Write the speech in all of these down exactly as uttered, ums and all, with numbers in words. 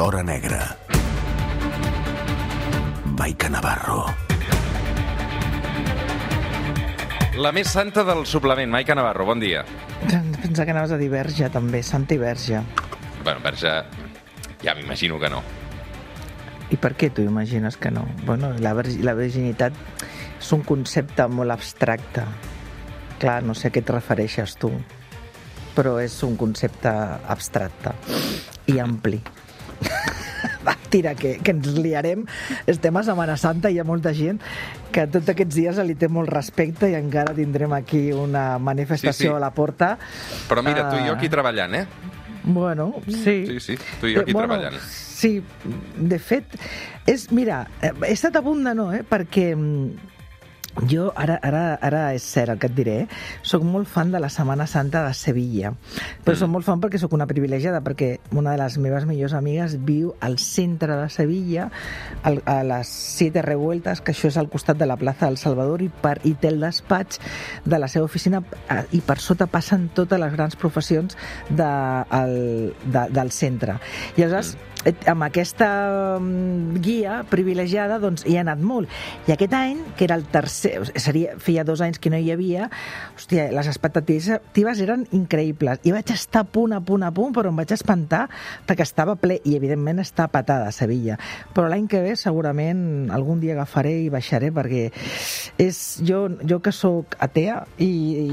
l'Hora Negra. Maica Navarro. La més santa del suplement, Maica Navarro, bon dia. Pensa que anaves a dir Verge, també, santa i Verge. Bueno, Verge, ja m'imagino que no. I per què tu imagines que no? Bueno, la, vergi, la virginitat és un concepte molt abstracte. Clar, no sé a què et refereixes tu, però és un concepte abstracte i ampli. Va, tira, que, que ens liarem. Estem a Setmana Santa i hi ha molta gent que tots aquests dies li té molt respecte i encara tindrem aquí una manifestació sí, sí. a la porta. Però mira, tu i jo aquí treballant, eh? Bueno, sí. Sí, sí, tu i jo aquí eh, bueno, treballant. Sí, de fet, és, mira, he estat a punt de no, eh? Perquè jo, ara, ara, ara és cert el que et diré, soc molt fan de la Setmana Santa de Sevilla, però mm. soc molt fan perquè soc una privilegiada, perquè una de les meves millors amigues viu al centre de Sevilla, al, a les Siete Revueltas, que això és al costat de la plaça del Salvador, i, per, i té el despatx de la seva oficina, i per sota passen totes les grans professions de, el, de, del centre. I aleshores, mm. amb aquesta guia privilegiada, doncs hi he anat molt. I aquest any, que era el tercer, seria, feia dos anys que no hi havia, hòstia, les expectatives eren increïbles. I vaig estar a punt, a punt, a punt, però em vaig espantar perquè estava ple, i evidentment està patada a Sevilla. Però l'any que ve segurament algun dia agafaré i baixaré, perquè és, jo, jo que sóc atea i, i,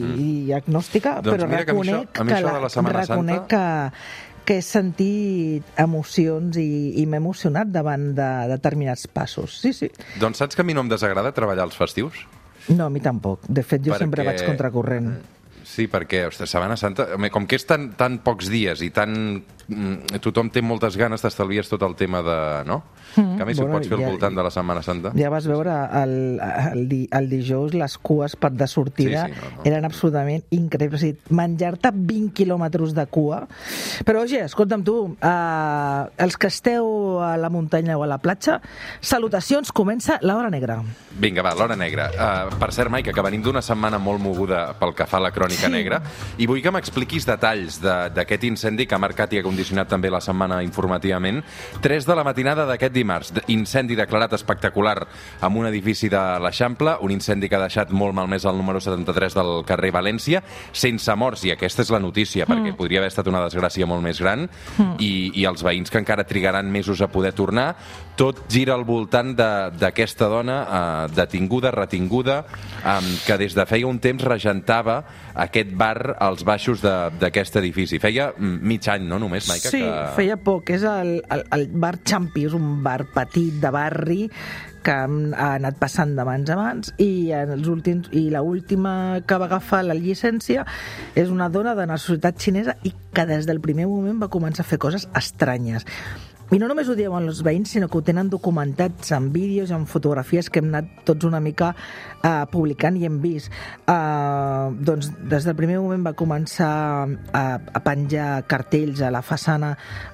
mm. i agnòstica, doncs però reconec, que, això, que, la, reconec Santa... que que he sentit emocions i, i m'he emocionat davant de determinats passos. Sí, sí. Doncs saps que a mi no em desagrada treballar els festius? No, a mi tampoc. De fet, jo perquè... sempre vaig contracorrent. Sí, perquè, ostres, Setmana Santa, com que és tan, tan pocs dies i tan... tothom té moltes ganes, t'estalvies tot el tema de... no? Mm, que a més bueno, ho pots fer ja, al voltant de la Setmana Santa. Ja vas veure el, el, di, el dijous les cues per de sortida sí, sí, no, no. eren absolutament increïbles. O sigui, menjar-te vint quilòmetres de cua. Però, oye, escolta'm tu, uh, els que esteu a la muntanya o a la platja, salutacions, comença l'Hora Negra. Vinga, va, l'Hora Negra. Uh, per cert, Maica, que venim d'una setmana molt moguda pel que fa a la crònica sí. negra, i vull que m'expliquis detalls d'aquest de, incendi que ha marcat i ha condicionat també la setmana informativament. tres de la matinada d'aquest dimarts, incendi declarat espectacular en un edifici de l'Eixample, un incendi que ha deixat molt malmès el número setanta-tres del carrer València, sense morts, i aquesta és la notícia, mm. perquè podria haver estat una desgràcia molt més gran, mm. i, i els veïns que encara trigaran mesos a poder tornar. Tot gira al voltant d'aquesta dona eh, detinguda, retinguda, eh, que des de feia un temps regentava aquest bar als baixos d'aquest edifici. Feia mig any, no, només, Maica? Sí, que... feia poc. És el, el, el bar Champi, és un bar petit de barri que ha anat passant de mans a mans, i en els últims i l'última que va agafar la llicència és una dona de nacionalitat xinesa i que des del primer moment va començar a fer coses estranyes. I no només ho diuen els veïns, sinó que ho tenen documentats en vídeos, en fotografies que hem anat tots una mica uh, publicant i hem vist. Uh, doncs des del primer moment va començar a, a penjar cartells a la façana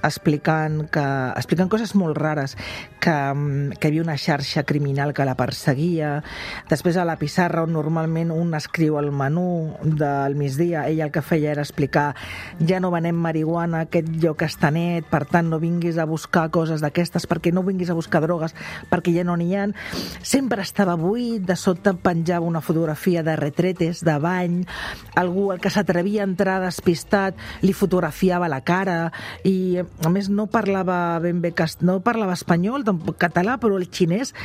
explicant, que, explicant coses molt rares, que, que hi havia una xarxa criminal que la perseguia. Després a la pissarra, on normalment un escriu el menú del migdia, ella el que feia era explicar: ja no venem marihuana, aquest lloc està net, per tant no vinguis a buscar buscar coses d'aquestes, perquè no vinguis a buscar drogues, perquè ja no n'hi ha. Sempre estava buit, de sota penjava una fotografia de retretes, de bany, algú el que s'atrevia a entrar despistat li fotografiava la cara, i a més no parlava ben bé, no parlava espanyol, tampoc català, però el xinès,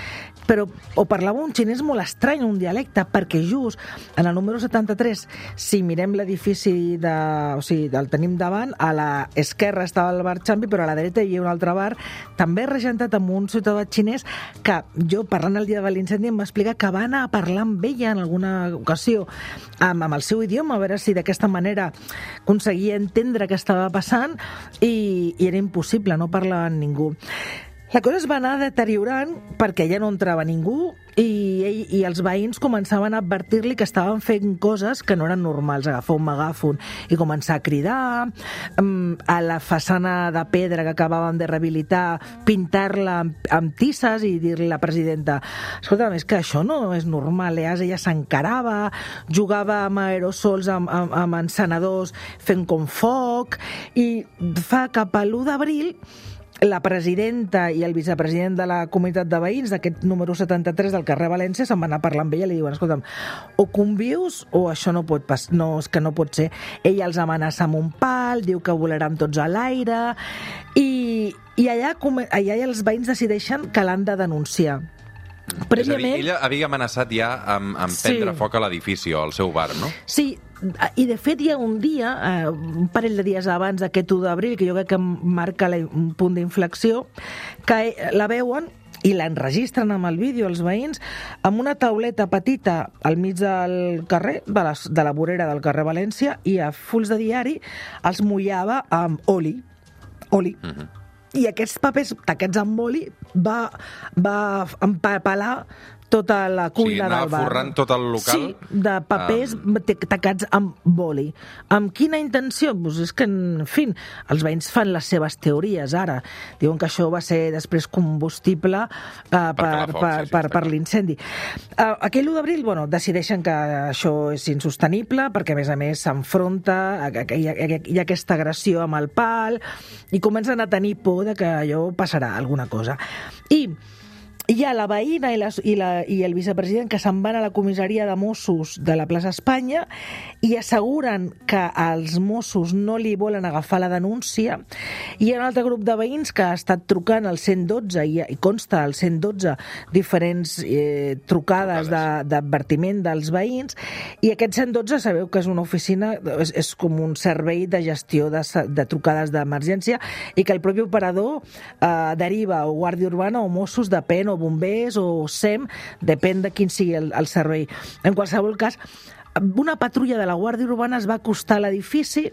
però, o parlava un xinès molt estrany, un dialecte, perquè just en el número setanta-tres, si mirem l'edifici de, o sigui, el tenim davant, a l'esquerra estava el bar Champi, però a la dreta hi havia un altre bar, també regentat amb un ciutadà xinès que jo, parlant el dia de l'incendi, em va explicar que va anar a parlar amb ella en alguna ocasió amb, amb el seu idioma, a veure si d'aquesta manera aconseguia entendre què estava passant, i, i era impossible, no parlava amb ningú. La cosa es va anar deteriorant perquè ja no entrava ningú, i, i, i els veïns començaven a advertir-li que estaven fent coses que no eren normals, agafar un megàfon i començar a cridar, a la façana de pedra que acabàvem de rehabilitar, pintar-la amb, amb tisses, i dir-li a la presidenta: escolta, és que això no és normal. Llavors ella s'encarava, jugava amb aerosols, amb, amb, amb encenedors, fent com foc, i fa cap a l'u d'abril la presidenta i el vicepresident de la comunitat de veïns d'aquest número setanta-tres del carrer València se'n van anar a parlar amb ella i li diuen, escolta'm, o convius o això no pot pas, no, és que no pot ser. Ella els amenaça amb un pal, diu que volaran tots a l'aire i, i allà, allà els veïns decideixen que l'han de denunciar. Prèviament... És a dir, ella havia amenaçat ja amb, amb prendre sí. foc a l'edifici o al seu bar, no? Sí, i de fet hi ha un dia, eh, un parell de dies abans d'aquest u d'abril, que jo crec que marca la, un punt d'inflexió, que la veuen i l'enregistren amb el vídeo els veïns amb una tauleta petita al mig del carrer, de la, de la vorera del carrer València, i a fulls de diari els mullava amb oli. Oli. Uh-huh. I aquests papers tacats amb oli va, va empapelar tota la cuina sí, del bar. Forrant tot el local. Sí, de papers um... tacats amb boli. Amb quina intenció? Pues és que, en fi, els veïns fan les seves teories ara. Diuen que això va ser després combustible uh, per, foc, per, sí, per, per l'incendi. Uh, aquell u d'abril, bueno, decideixen que això és insostenible perquè, a més a més, s'enfronta, hi ha, hi ha aquesta agressió amb el pal i comencen a tenir por de que allò passarà alguna cosa. I hi ha la veïna i, la, i, la, i el vicepresident que se'n van a la comissaria de Mossos de la plaça Espanya i asseguren que els Mossos no li volen agafar la denúncia. Hi ha un altre grup de veïns que ha estat trucant al cent dotze i, i consta al cent dotze diferents eh, trucades d'advertiment de, dels veïns, i aquest cent dotze sabeu que és una oficina, és, és com un servei de gestió de, de trucades d'emergència i que el propi operador eh, deriva o Guàrdia Urbana o Mossos, depèn, o bombers o S E M, depèn de quin sigui el, el servei. En qualsevol cas, una patrulla de la Guàrdia Urbana es va acostar a l'edifici,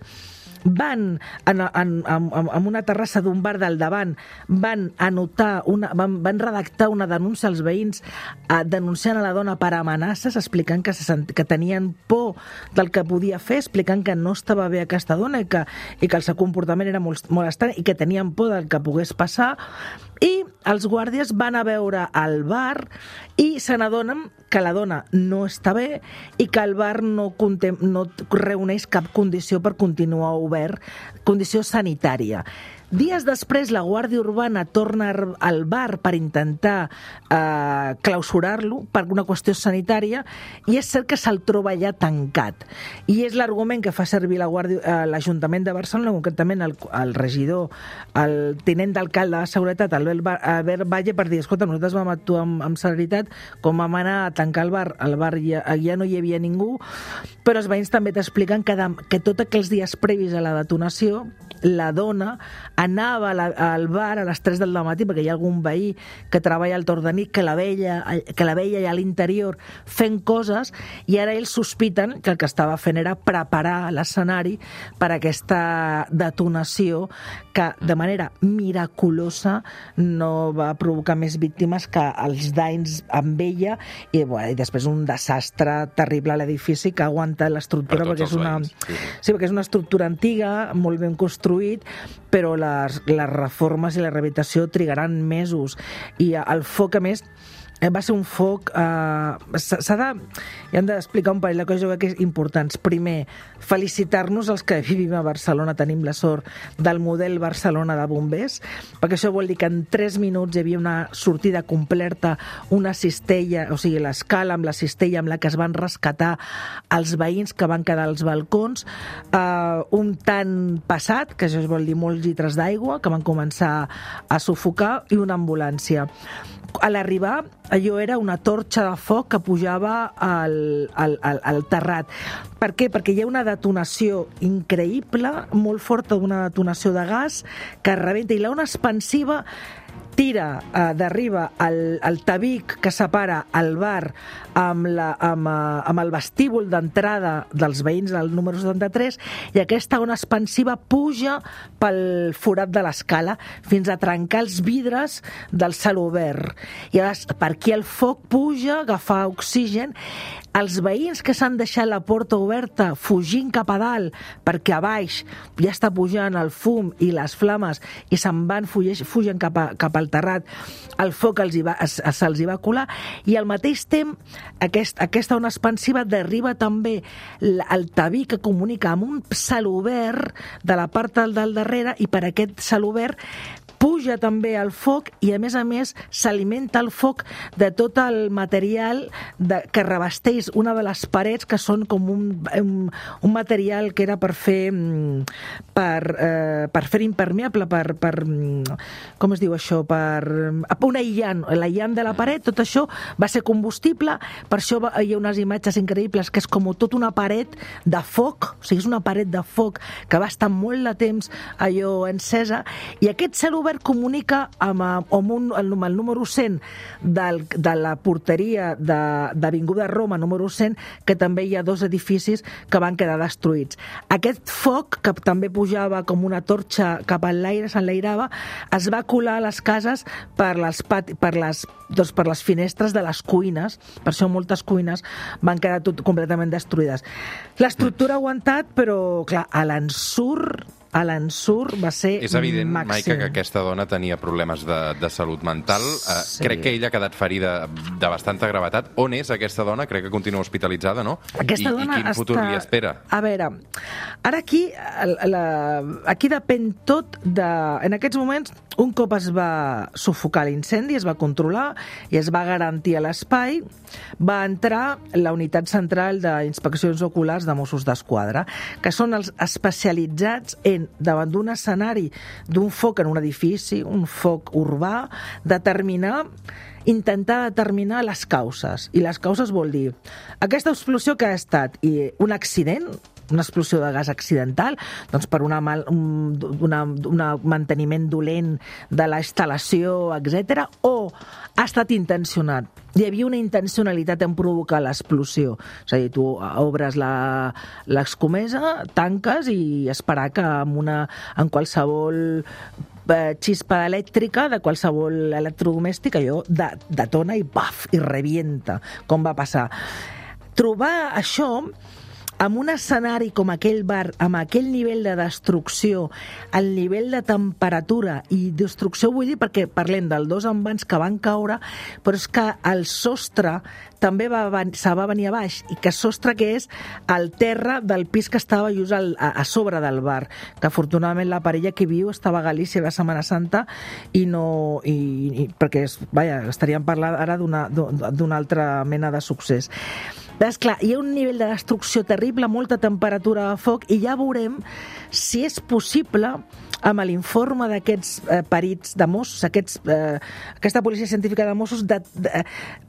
van en, en, en, en una terrassa d'un bar del davant, van anotar una, van, van redactar una denúncia als veïns eh, denunciant a la dona per amenaces, explicant que, se sent, que tenien por del que podia fer, explicant que no estava bé aquesta dona i que, i que el seu comportament era molt, molt estrany i que tenien por del que pogués passar. I els guàrdies van a veure al bar i se n'adonen que la dona no està bé i que el bar no, contem, no reuneix cap condició per continuar obert, condició sanitària. Dies després, la Guàrdia Urbana torna al bar per intentar eh, clausurar-lo per una qüestió sanitària i és cert que se'l troba allà tancat. I és l'argument que fa servir la Guàrdia, eh, l'Ajuntament de Barcelona, concretament el, el regidor, el tinent d'alcalde de Seguretat, Albert Valle, per dir, escolta, nosaltres vam actuar amb, amb celeritat, com vam anar a tancar el bar, el bar ja, ja no hi havia ningú, però els veïns també t'expliquen que, de, que tots aquells dies previs a la detonació, la dona anava la, al bar a les tres del matí perquè hi ha algun veí que treballa al torn de nit que la veia, que la veia allà a l'interior fent coses, i ara ells sospiten que el que estava fent era preparar l'escenari per a aquesta detonació que de manera miraculosa no va provocar més víctimes que els danys amb ella i, bueno, i després un desastre terrible a l'edifici que aguanta l'estructura per perquè és una, sí. Sí, perquè és una estructura antiga, molt ben construït, però les, les reformes i la rehabilitació trigaran mesos i el foc, a més, va ser un foc... Eh, s'ha de... Hi hem d'explicar un parell de coses que és importants. Primer, felicitar-nos els que vivim a Barcelona, tenim la sort del model Barcelona de bombers, perquè això vol dir que en tres minuts hi havia una sortida completa, una cistella, o sigui, l'escala amb la cistella amb la que es van rescatar els veïns que van quedar als balcons, eh, un tant passat, que això vol dir molts litres d'aigua, que van començar a sufocar, i una ambulància. A l'arribar, allò era una torxa de foc que pujava al, al, al, al terrat. Per què? Perquè hi ha una detonació increïble, molt forta, una detonació de gas que rebenta, i l'ona expansiva tira eh, d'arriba el, el tabic que separa el bar amb, la, amb, uh, amb el vestíbul d'entrada dels veïns del número setanta-tres, i aquesta ona expansiva puja pel forat de l'escala fins a trencar els vidres del celobert. I llavors, per aquí el foc puja, agafar oxigen. Els veïns que s'han deixat la porta oberta fugint cap a dalt perquè a baix ja està pujant el fum i les flames i se'n van, fugen cap, a, cap al terrat, el foc els hi va, se'ls hi va colar, i al mateix temps aquest, aquesta ona expansiva derriba també el taví que comunica amb un celobert de la part del darrere, i per aquest celobert puja també el foc i, a més a més, s'alimenta el foc de tot el material de, que revesteix una de les parets, que són com un, un, un material que era per fer per, eh, per fer impermeable, per, per com es diu això, per un aïllant, l'aïllant de la paret, tot això va ser combustible, per això hi ha unes imatges increïbles que és com tot una paret de foc, o sigui, és una paret de foc que va estar molt de temps allò encesa, i aquest cel obert comunica amb, amb, un, amb el número cent del, de la porteria de, d'Avinguda Roma, número cent, que també hi ha dos edificis que van quedar destruïts. Aquest foc, que també pujava com una torxa cap a l'aire, s'enlairava, es va colar a les cases per les, pati, per les, doncs per les finestres de les cuines, per això moltes cuines van quedar tot completament destruïdes. L'estructura ha aguantat, però clar, a l'ensurt a l'ensurt va ser màxim. És evident, Maica, que aquesta dona tenia problemes de, de salut mental. Sí. Crec que ella ha quedat ferida de bastanta gravetat. On és aquesta dona? Crec que continua hospitalitzada, no? Aquesta I, dona i quin està... futur li espera? A veure, ara aquí, la... aquí depèn tot de... En aquests moments, un cop es va sufocar l'incendi, es va controlar i es va garantir l'espai, va entrar la unitat central d'inspeccions oculars de Mossos d'Esquadra, que són els especialitzats en, davant d'un escenari d'un foc en un edifici, un foc urbà, determinar intentar determinar les causes. I les causes vol dir aquesta explosió que ha estat i un accident, una explosió de gas accidental, doncs per una mal, un una, una manteniment dolent de la instal·lació, etcètera, o ha estat intencionat. Hi havia una intencionalitat en provocar l'explosió. És a dir, tu obres la, l'escomesa, tanques i esperar que amb, una, en qualsevol xispa elèctrica de qualsevol electrodomèstic allò detona i paf, i revienta, com va passar. Trobar això en un escenari com aquell bar, amb aquell nivell de destrucció, el nivell de temperatura i destrucció, vull dir, perquè parlem dels dos envans que van caure, però és que el sostre també va, se va venir a baix, i que sostre que és el terra del pis que estava just al, a, a sobre del bar, que afortunadament la parella que viu estava a Galícia de Setmana Santa i no... I, i, perquè, vaja, estaríem parlant ara d'una, d'una altra mena de succés. És clar, hi ha un nivell de destrucció terrible, molta temperatura de foc, i ja veurem si és possible, amb l'informe d'aquests eh, perits de Mossos, aquests, eh, aquesta policia científica de Mossos, de, de,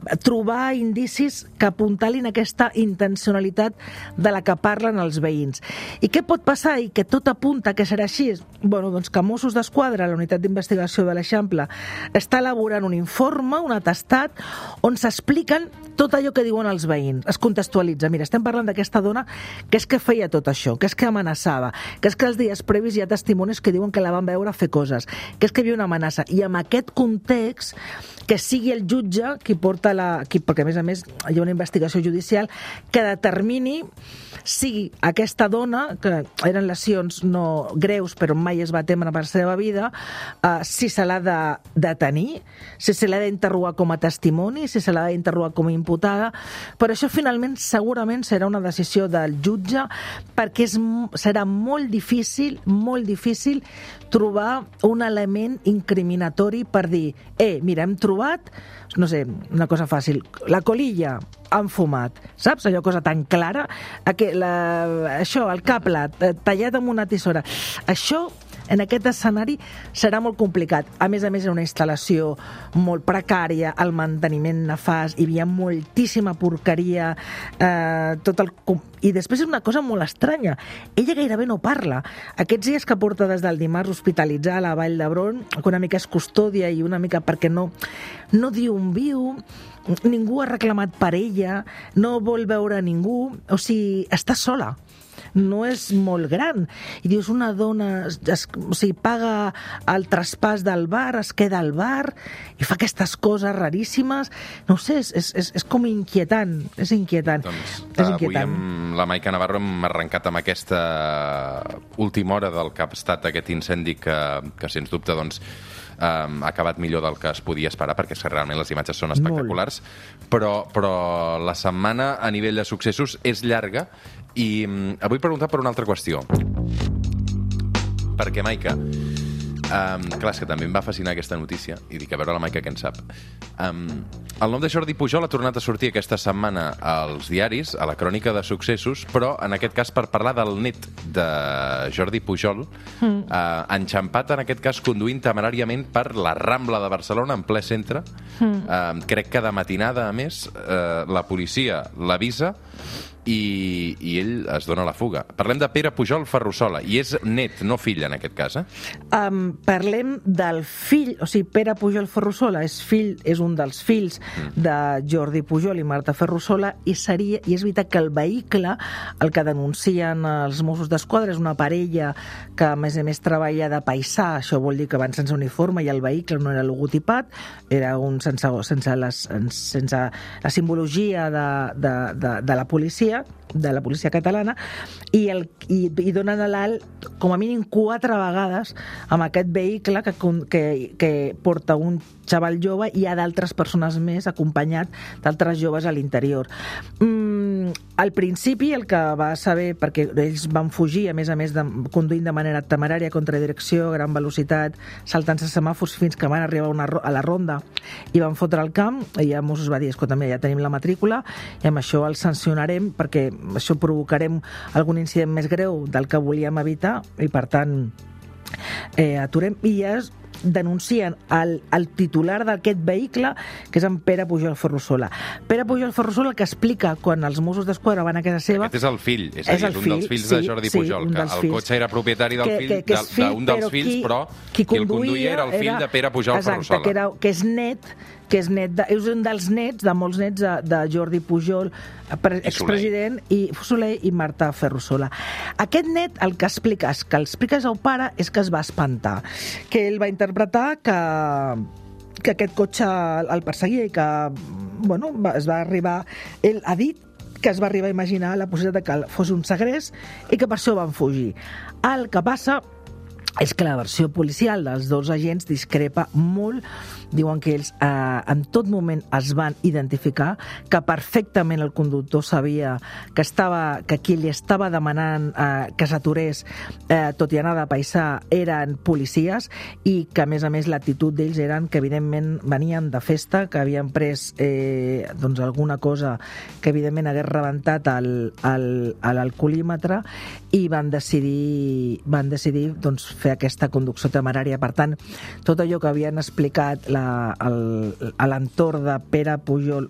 de trobar indicis que apuntalin aquesta intencionalitat de la que parlen els veïns. I què pot passar? I que tot apunta que serà així? Bueno, doncs que Mossos d'Esquadra, la unitat d'investigació de l'Eixample, està elaborant un informe, un atestat, on s'expliquen tot allò que diuen els veïns. Es contextualitza. Mira, estem parlant d'aquesta dona que és que feia tot això, que és que amenaçava, que és que els dies previs hi ha testimonis que diuen que la van veure fer coses, que és que hi havia una amenaça. I amb aquest context, que sigui el jutge qui porta la... Qui, perquè, a més a més, hi ha una investigació judicial que determini si aquesta dona, que eren lesions no greus, però mai es va temer per la seva vida, eh, si se l'ha de detenir, si se l'ha d'interrogar com a testimoni, si se l'ha d'interrogar com a imputada. Per això, finalment, segurament serà una decisió del jutge, perquè és, serà molt difícil, molt difícil trobar un element incriminatori per dir, eh, mira, hem trobat, no sé, una cosa fàcil, la colilla han fumat, saps? Allò cosa tan clara, que la, això, el cable tallat amb una tisora, això en aquest escenari serà molt complicat. A més a més, era una instal·lació molt precària, el manteniment nefast, hi havia moltíssima porqueria, eh, tot el... I després és una cosa molt estranya. Ella gairebé no parla. Aquests dies que porta des del dimarts hospitalitzar a la Vall d'Hebron, que una mica és custòdia i una mica perquè no, no diu on viu, ningú ha reclamat per ella, no vol veure ningú, o sigui, està sola. No és molt gran. I dius, una dona, es, o sigui, paga el traspàs del bar, es queda al bar i fa aquestes coses raríssimes. No ho sé, és, és, és com inquietant. És inquietant. Doncs, és inquietant. Avui amb la Maica Navarro hem arrencat amb aquesta última hora del que ha estat aquest incendi que, que sens dubte, doncs, Um, ha acabat millor del que es podia esperar, perquè realment les imatges són espectaculars, però, però la setmana a nivell de successos és llarga i um, vull preguntar per una altra qüestió, perquè, Maica, Um, clar, és que també em va fascinar aquesta notícia i dic, a veure la Maica què en sap. Um, el nom de Jordi Pujol ha tornat a sortir aquesta setmana als diaris, a la crònica de successos, però en aquest cas per parlar del net de Jordi Pujol, mm. uh, enxampat en aquest cas conduint temeràriament per la Rambla de Barcelona, en ple centre. Mm. Uh, crec que de matinada, a més, uh, la policia l'avisa i, i ell es dona la fuga. Parlem de Pere Pujol Ferrusola, i és net, no fill en aquest cas, eh? Um, parlem del fill, o sigui, Pere Pujol Ferrusola és fill, és un dels fills mm. de Jordi Pujol i Marta Ferrusola, i seria, i és veritat que el vehicle, el que denuncien els Mossos d'Esquadra, és una parella que a més a més treballa de paisà, això vol dir que van sense uniforme i el vehicle no era logotipat, era un sense, sense, les, sense la simbologia de, de, de, de la policia, de la policia catalana, i, el, i, i donen a l'alt com a mínim quatre vegades amb aquest vehicle que, que, que porta un xaval jove i hi ha d'altres persones més acompanyat d'altres joves a l'interior. Mm, al principi el que va saber, perquè ells van fugir, a més a més de, conduint de manera temerària, contra direcció, gran velocitat, saltant-se semàfors fins que van arribar una, a la ronda i van fotre al camp, i ja Mossos va dir, escolta, ja tenim la matrícula i amb això el sancionarem perquè això provocarem algun incident més greu del que volíem evitar i per tant eh, aturem, i ja es denuncien el, el titular d'aquest vehicle, que és en Pere Pujol Ferrusola. Pere Pujol Ferrusola, el que explica quan els Mossos d'Esquadra van a casa seva... Aquest és el fill, és, és, a dir, és un fill, dels fills sí, de Jordi sí, Pujol, que el fills. Cotxe era propietari del que, fill, que, que fill d'un dels fills, qui, però qui, qui el conduïa era el fill era, de Pere Pujol exacte, Ferrusola. Que, era, que és net, que és net de, és un dels nets, de molts nets de, de Jordi Pujol, expresident, i Soler i Marta Ferrusola. Aquest net, el que explica, que explica el seu pare, és que es va espantar, que ell va interpretar que que aquest cotxe el perseguia i que, bueno, es va arribar, ell ha dit que es va arribar a imaginar la possibilitat de que fos un segrest i que per això van fugir. El que passa és que la versió policial dels dos agents discrepa molt. Diuen que ells eh, en tot moment es van identificar, que perfectament el conductor sabia que, estava, que qui li estava demanant eh, que s'aturés, eh, tot i anar de paisà, eren policies, i que a més a més l'actitud d'ells eren que evidentment venien de festa, que havien pres eh, doncs alguna cosa que evidentment hagués rebentat l'alcoholímetre, i van decidir, van decidir doncs, fer aquesta conducció temerària. Per tant, tot allò que havien explicat la, el, a l'entorn de Pere Pujol,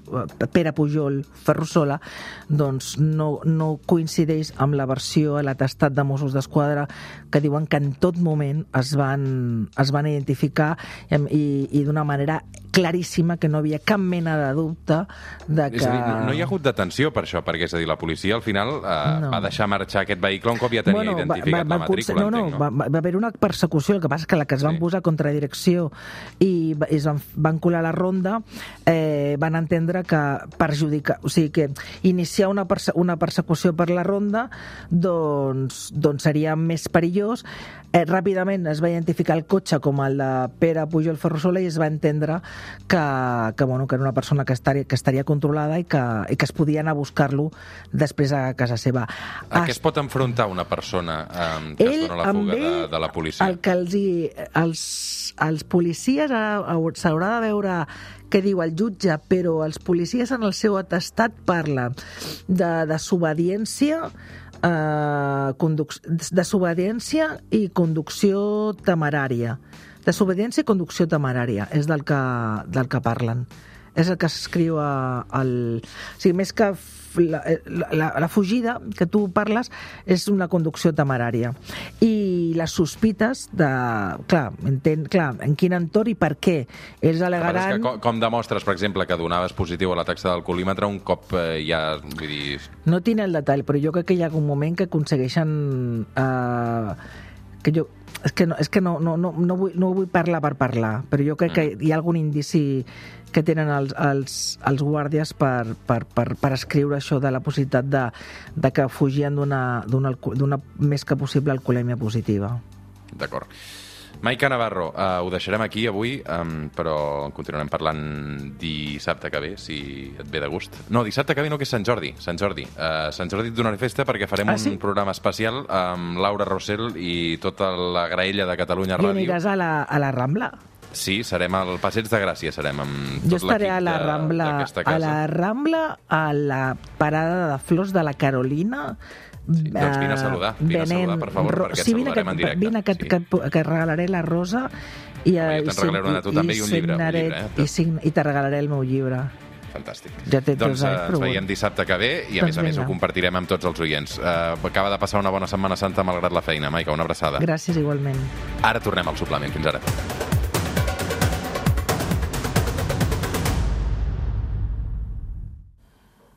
Pere Pujol Ferrusola, doncs no, no coincideix amb la versió a l'atestat de Mossos d'Esquadra, que diuen que en tot moment es van, es van identificar i, i d'una manera claríssima, que no havia cap mena de dubte de que... És a dir, no, no hi ha hagut detenció per això, perquè és a dir, la policia al final eh, no. va deixar marxar aquest vehicle un cop ja tenia bueno, identificat va, va, la matrícula, no, no, entenc, no? Va, va haver una persecució, el que passa és que la que es van sí. posar contra direcció i es van, van colar la ronda, eh, van entendre que perjudicar, o sigui que iniciar una, perse una persecució per la ronda doncs, doncs seria més perillós. Eh, ràpidament es va identificar el cotxe com el de Pere Pujol Ferrusola i es va entendre que, que, bueno, que era una persona que estaria, que estaria controlada i que, i que es podia anar a buscar-lo després a casa seva. A què es pot enfrontar una persona eh, que es dona la fuga de, de la policia? El que els, els, els policies s'haurà de veure què diu el jutge, però els policies en el seu atestat parla de desobediència, eh, desobediència i conducció temerària. Desobediència i conducció temerària és del que, del que parlen. És el que s'escriu al... O sigui, més que la, la, la fugida que tu parles és una conducció temerària. I les sospites de... Clar, entén, clar, en quin entorn i per què. Ells alegaran... Com, com demostres, per exemple, que donaves positiu a la taxa d'alcoholímetre un cop eh, ja... Vull dir... No tinc el detall, però jo crec que hi ha algun moment que aconsegueixen... Eh, que jo... És que, no, és que no, no, no, no, vull, no vull parlar per parlar, però jo crec que hi ha algun indici que tenen els, els, els guàrdies per, per, per, per escriure això de la possibilitat de, de que fugien d'una més que possible alcoholèmia positiva. D'acord. Maica Navarro, uh, ho deixarem aquí avui, um, però continuarem parlant dissabte que ve, si et ve de gust. No, dissabte que ve no, que és Sant Jordi. Sant Jordi, uh, Sant Jordi et donaré festa perquè farem ah, un sí? programa especial amb Laura Rossell i tota la graella de Catalunya Ràdio. I aniràs a la, a la Rambla? Sí, serem al Passeig de Gràcia, serem amb tot jo estaré a la Rambla, a la Rambla, a la parada de flors de la Carolina. Sí, doncs vine a saludar, vine a saludar, per favor, perquè et sí, saludarem en directe. Vine que, sí. que, que, que et regalaré la rosa i, no, jo te'n regalaré una a tu també i un llibre, signaré, un llibre eh? i, sign, i te regalaré el meu llibre. Fantàstic. Ja té doncs anys, uh, ens veiem dissabte que ve i a doncs més a més vinga. ho compartirem amb tots els oients. Uh, acaba de passar una bona Setmana Santa malgrat la feina. Maica, una abraçada. Gràcies igualment. Ara tornem al suplement. Fins ara.